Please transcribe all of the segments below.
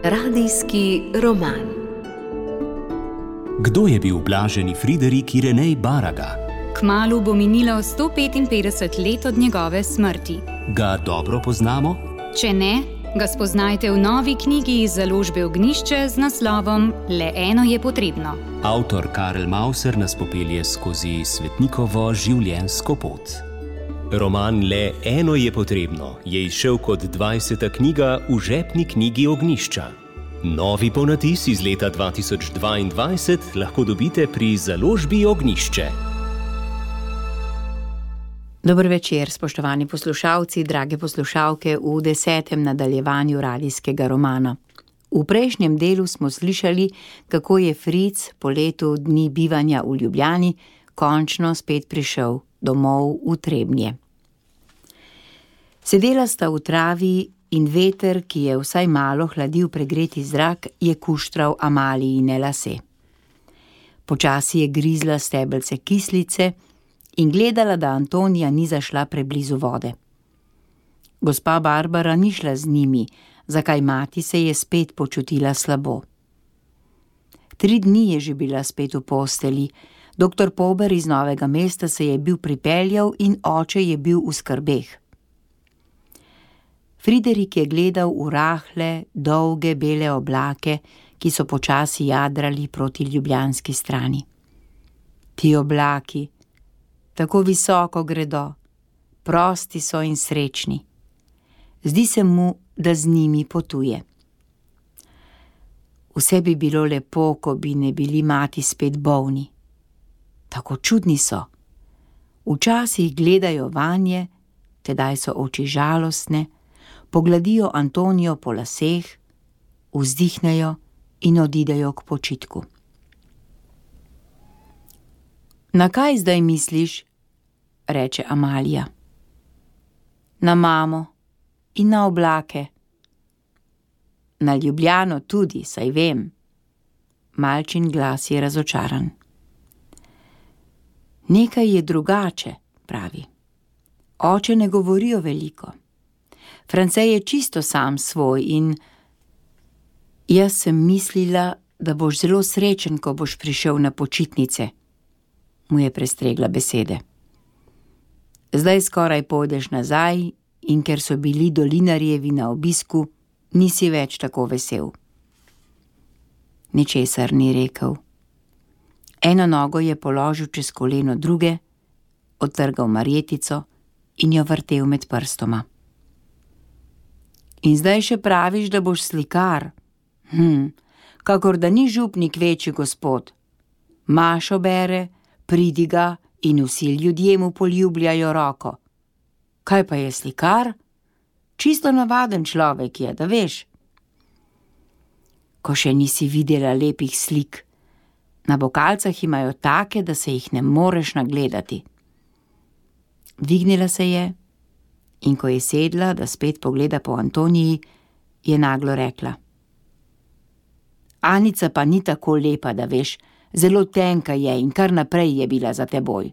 Radijski roman. Kdo je bil blaženi Friderik Irenej Baraga? Kmalu bo minilo 155 let od njegove smrti. Ga dobro poznamo? Če ne, ga spoznajte v novi knjigi iz založbe Ognjišče z naslovom Le eno je potrebno. Avtor Karel Mauser nas popelje skozi svetnikovo življenjsko pot. Roman Le eno je potrebno je izšel kot 20. knjiga v žepni knjigi Ognjišča. Novi ponatis iz leta 2022 lahko dobite pri založbi Ognjišče. Dober večer, spoštovani poslušalci, drage poslušalke v 10. nadaljevanju radijskega romana. V prejšnjem delu smo slišali, kako je Fritz po letu dni bivanja v Ljubljani končno spet prišel domov v Trebnje. Sedela sta v travi in veter, ki je vsaj malo hladil pregreti zrak, je kuštral Amalijine lase. Počasi je grizla stebelce kislice in gledala, da Antonija ni zašla preblizu vode. Gospa Barbara ni šla z njimi, zakaj mati se je spet počutila slabo. 3 dni je že bila spet v posteli, doktor Pober iz Novega mesta se je bil pripeljal in oče je bil v skrbeh. Friderik je gledal v rahle, dolge bele oblake, ki so počasi jadrali proti ljubljanski strani. Ti oblaki, tako visoko gredo, prosti so in srečni. Zdi se mu, da z njimi potuje. Vse bi bilo lepo, ko bi ne bili mati spet bolni. Tako čudni so. Včasih gledajo vanje, tedaj so oči žalostne, pogladijo Antonijo po laseh, vzdihnejo in odidejo k počitku. Na kaj zdaj misliš? Reče Amalija. Na mamo in na oblake. Na Ljubljano tudi, saj vem. Malčin glas je razočaran. Nekaj je drugače, pravi. Oče ne govorijo veliko. France je čisto sam svoj in jaz sem mislila, da boš zelo srečen, ko boš prišel na počitnice, mu je prestregla besede. Zdaj skoraj pojdeš nazaj in ker so bili Dolinarjevi na obisku, nisi več tako vesel. Ničesar ni rekel. Eno nogo je položil čez koleno druge, odtrgal marjetico in jo vrtel med prstoma. In zdaj še praviš, da boš slikar? Kakor da ni župnik večji gospod. Mašo bere, pridiga in vsi ljudje mu poljubljajo roko. Kaj pa je slikar? Čisto navaden človek je, da veš. Ko še nisi videla lepih slik. Na bokalcah imajo take, da se jih ne moreš nagledati. Dvignila se je in ko je sedla, da spet pogleda po Antoniji, je naglo rekla. Anica pa ni tako lepa, da veš, zelo tenka je in kar naprej je bila za teboj.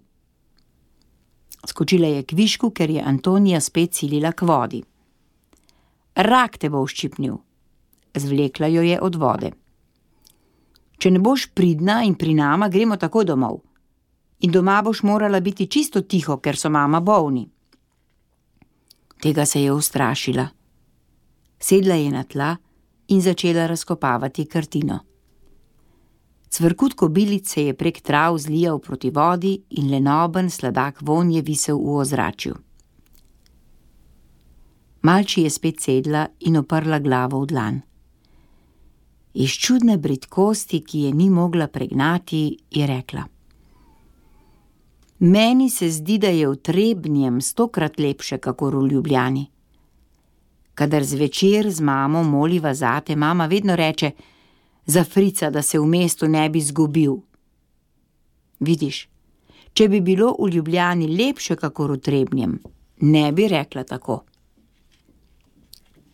Skočila je k višku, ker je Antonija spet silila k vodi. Rak te bo uščipnil. Zvlekla jo je od vode. Če ne boš pridna in pri nama, gremo takoj domov. In doma boš morala biti čisto tiho, ker so mama bolni. Tega se je ustrašila. Sedla je na tla in začela razkopavati krtino. Cvrkut kobilic se je prek trav zlijal proti vodi in lenoben sladak vonj je visel v ozračju. Malči je spet sedla in oprla glavo v dlan. Iz čudne bridkosti, ki je ni mogla pregnati, je rekla. Meni se zdi, da je v Trebnjem 100-krat lepše, kakor v Ljubljani. Kadar zvečer z mamo moliva zate, mama vedno reče, za Frica, da se v mestu ne bi zgubil. Vidiš, če bi bilo v Ljubljani lepše, kakor v Trebnjem, ne bi rekla tako.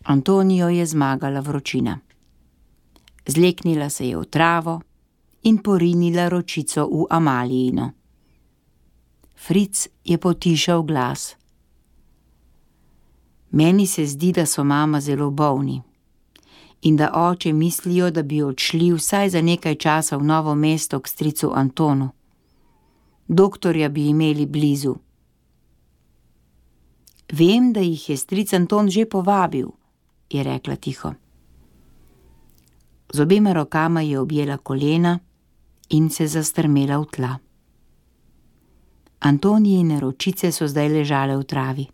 Antonijo je zmagala vročina. Zleknila se je v travo in porinila ročico v Amalijino. Fritz je potišal glas. Meni se zdi, da so mama zelo bolni. in da oče mislijo, da bi odšli vsaj za nekaj časa v Novo mesto k stricu Antonu. Doktorja bi imeli blizu. Vem, da jih je stric Anton že povabil, je rekla tiho. Z obema rokama je objela kolena in se zastrmela v tla. Antonijine ročice so zdaj ležale v travi.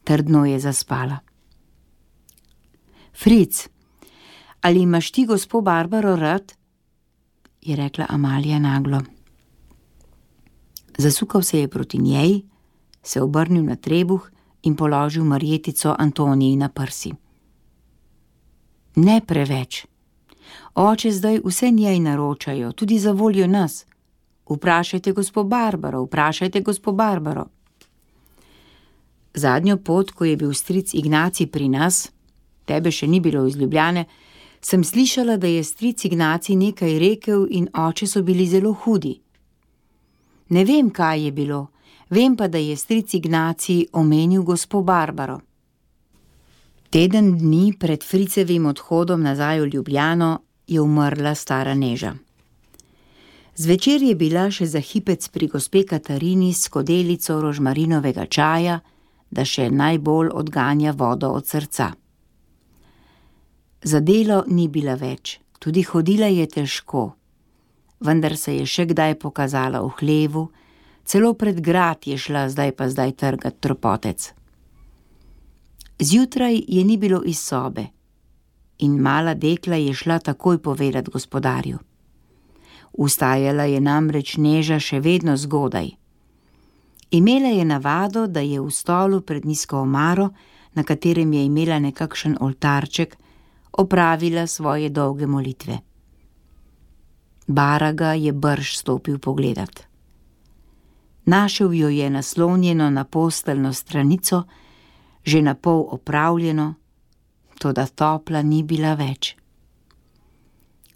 Trdno je zaspala. Fric, ali imaš ti gospo Barbaro rad? Je rekla Amalija naglo. Zasukal se je proti njej, se obrnil na trebuh in položil marjetico Antoniji na prsi. Ne preveč. Oče zdaj vse njej naročajo, tudi za voljo nas. Vprašajte gospo Barbaro, vprašajte gospo Barbaro. Zadnjo pot, ko je bil stric Ignacij pri nas, tebe še ni bilo iz Ljubljane, sem slišala, da je stric Ignacij nekaj rekel in oče so bili zelo hudi. Ne vem, kaj je bilo, vem pa, da je stric Ignacij omenil gospo Barbaro. Teden dni pred Fricevim odhodom nazaj v Ljubljano je umrla stara Neža. Zvečer je bila še za hipec pri gospe Katarini s skodelico rožmarinovega čaja, da še najbolj odganja vodo od srca. Za delo ni bila več, tudi hodila je težko, vendar se je še kdaj pokazala v hlevu, celo pred grad je šla, zdaj trgat tropotec. Zjutraj je ni bilo iz sobe in mala dekla je šla takoj povedat gospodarju. Vstajala je namreč Neža še vedno zgodaj. Imela je navado, da je v stolu pred nizko omaro, na katerem je imela nekakšen oltarček, opravila svoje dolge molitve. Baraga je brž stopil pogledat. Našel jo je naslonjeno na posteljno stranico, že napol opravljeno, toda topla ni bila več.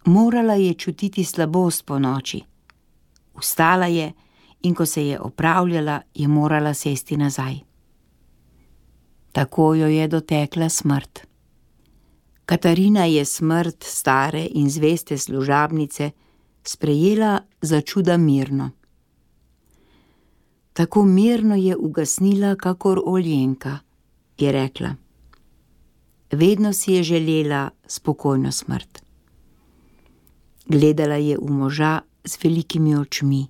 Morala je čutiti slabost po noči. Vstala je in ko se je opravljala, je morala sesti nazaj. Tako jo je dotekla smrt. Katarina je smrt stare in zveste služabnice sprejela za čuda mirno. Tako mirno je ugasnila, kakor Oljenka, je rekla. Vedno si je želela spokojno smrt. Gledala je v moža z velikimi očmi.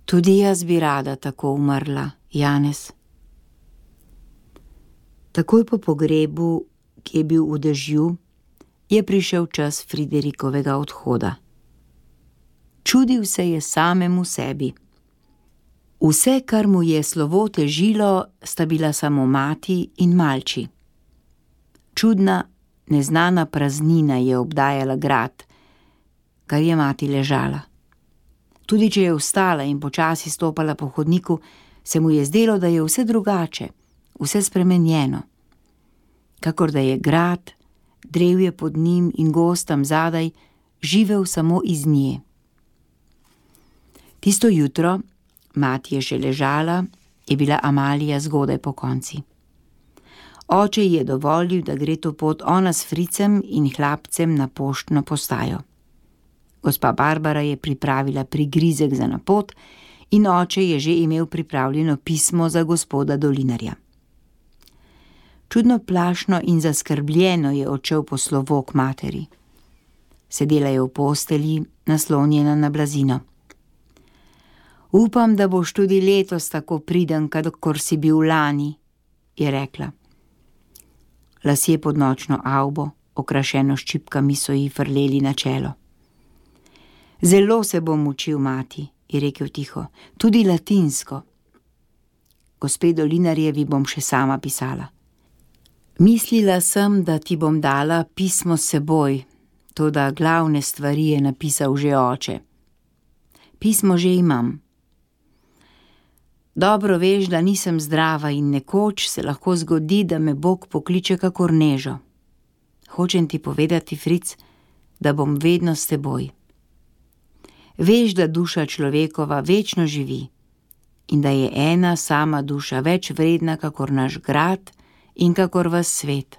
Tudi jaz bi rada tako umrla, Janez. Takoj po pogrebu, ki je bil v dežju, je prišel čas Friderikovega odhoda. Čudil se je samemu sebi. Vse, kar mu je slovo težilo, sta bila samo mati in malči. Čudna, neznana praznina je obdajala grad, kar je mati ležala. Tudi če je vstala in počasi stopala po hodniku, se mu je zdelo, da je vse drugače, vse spremenjeno. Kakor da je grad, drevje pod njim in gozd tam zadaj, živel samo iz nje. Tisto jutro, mati je še ležala, je bila Amalija zgodaj pokonci. Oče ji je dovolil, da gre to pot ona s Fricem in hlapcem na poštno postajo. Gospa Barbara je pripravila prigrizek za na pot in oče je že imel pripravljeno pismo za gospoda Dolinarja. Čudno plašno in zaskrbljeno je odšel po slovo k materi. Sedela je v postelji, naslonjena na blazino. Upam, da boš tudi letos tako priden, kakor si bil lani, je rekla. Lasje pod nočno avbo, okrašeno s čipkami, so ji frleli na čelo. Zelo se bom učil, mati, je rekel tiho, tudi latinsko. Gospe Dolinarjevi bom še sama pisala. Mislila sem, da ti bom dala pismo s seboj, toda glavne stvari je napisal že oče. Pismo že imam. Dobro veš, da nisem zdrava in nekoč se lahko zgodi, da me Bog pokliče kakor Nežo. Hočem ti povedati, Fric, da bom vedno s teboj. Veš, da duša človekova večno živi in da je ena sama duša več vredna kakor naš grad in kakor vas svet.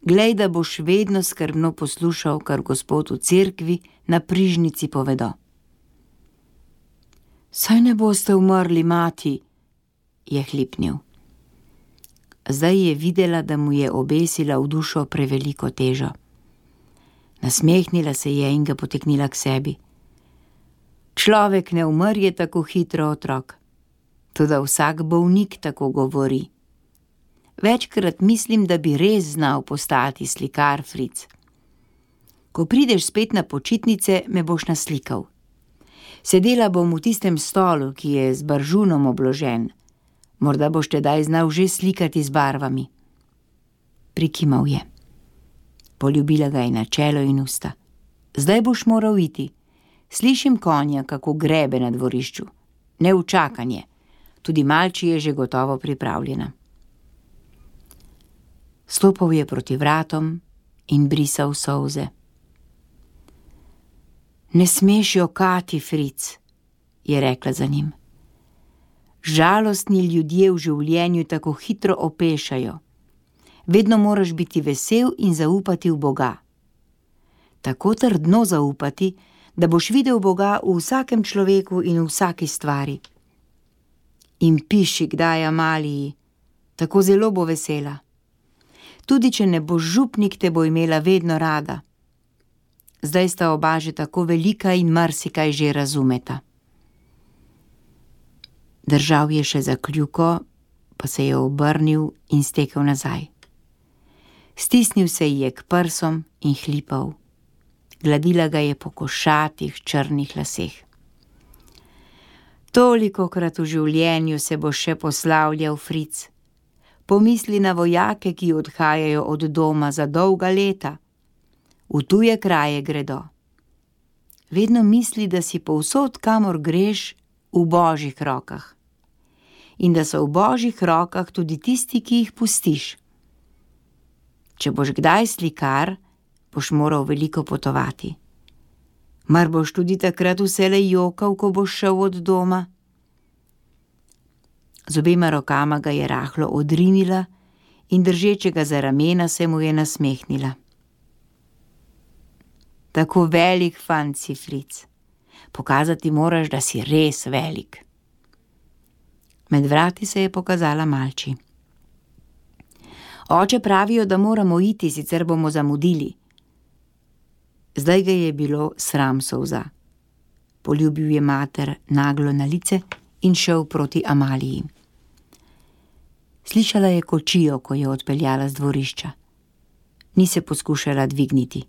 Glej, da boš vedno skrbno poslušal, kar Gospod v cerkvi na prižnici povedo. Saj ne boste umrli, mati, je hlipnil. Zdaj je videla, da mu je obesila v dušo preveliko težo. Nasmehnila se je in ga potegnila k sebi. Človek ne umrje tako hitro, otrok. Toda vsak bolnik tako govori. Večkrat mislim, da bi res znal postati slikar, Fric. Ko prideš spet na počitnice, me boš naslikal. Sedela bom v tistem stolu, ki je z baržunom obložen. Morda boš tedaj znal že slikati z barvami. Prikimal je. Poljubila ga je na čelo in usta. Zdaj boš moral iti. Slišim konja, kako grebe na dvorišču. Ne v čakanje. Tudi malči je že gotovo pripravljena. Stopal je proti vratom in brisal solze. Ne smeš jokati, Fric, je rekla za njim. Žalostni ljudje v življenju tako hitro opešajo. Vedno moraš biti vesel in zaupati v Boga. Tako trdno zaupati, da boš videl Boga v vsakem človeku in v vsaki stvari. In piši kdaj Amaliji, tako zelo bo vesela. Tudi če ne boš župnik, te bo imela vedno rada. Zdaj sta oba že tako velika in marsikaj že razumeta. Držal je še za kljuko, pa se je obrnil in stekel nazaj. Stisnil se ji je k prsom in hlipal. Gladila ga je po košatih črnih laseh. Tolikokrat v življenju se bo še poslavljal, Fric. Pomisli na vojake, ki odhajajo od doma za dolga leta. V tuje kraje gredo. Vedno misli, da si povsod, kamor greš, v Božjih rokah. In da so v Božjih rokah tudi tisti, ki jih pustiš. Če boš kdaj slikar, boš moral veliko potovati. Mar boš tudi takrat vselej jokal, ko boš šel od doma? Z obema rokama ga je rahlo odrinila in držečega za ramena se mu je nasmehnila. Tako velik fant si, Fric. Pokazati moraš, da si res velik. Med vrati se je pokazala malči. Oče, pravijo, da moramo iti, sicer bomo zamudili. Zdaj ga je bilo sram solza. Poljubil je mater naglo na lice in šel proti Amaliji. Slišala je kočijo, ko je odpeljala z dvorišča. Ni se poskušala dvigniti.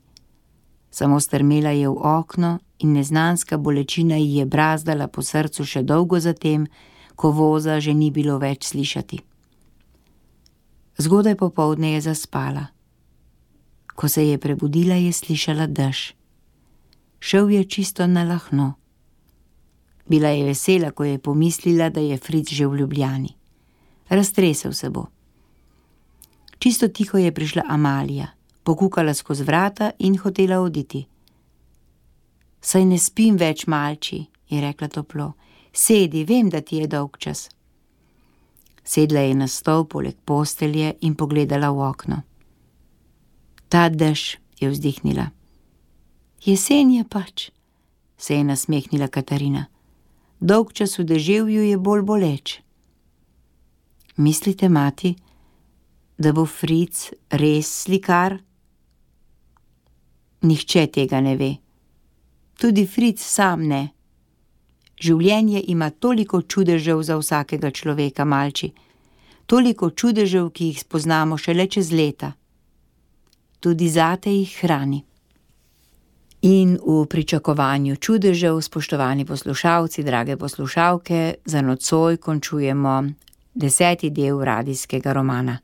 Samo strmela je v okno in neznanska bolečina ji je brazdala po srcu še dolgo zatem, ko voza že ni bilo več slišati. Zgodaj popoldne je zaspala. Ko se je prebudila, je slišala dež. Šel je čisto na lahno. Bila je vesela, ko je pomislila, da je Fric že v Ljubljani. Raztresel se bo. Čisto tiho je prišla Amalija, pokukala skozi vrata in hotela oditi. Saj ne spim več, malči, je rekla toplo. Sedi, vem, da ti je dolg čas. Sedla je na stol poleg postelje in pogledala v okno. Ta dež, je vzdihnila. Jesen je pač, se je nasmehnila Katarina. Dolg čas v deževju je bolj boleč. Mislite, mati, da bo Fric res slikar? Nihče tega ne ve. Tudi Fric sam ne. Življenje ima toliko čudežev za vsakega človeka, malči. Toliko čudežev, ki jih spoznamo šele čez leta. Tudi zate jih hrani. In v pričakovanju čudežev, spoštovani poslušalci, drage poslušalke, za nocoj končujemo 10. del radijskega romana.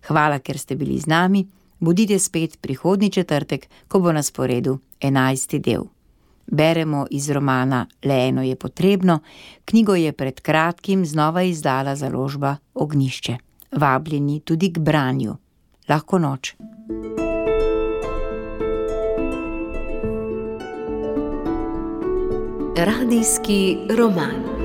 Hvala, ker ste bili z nami. Bodite spet prihodnji četrtek, ko bo na sporedu 11. del. Beremo iz romana Le eno je potrebno. Knjigo je pred kratkim znova izdala založba Ognjišče. Vabljeni tudi k branju. Lahko noč. Radijski roman.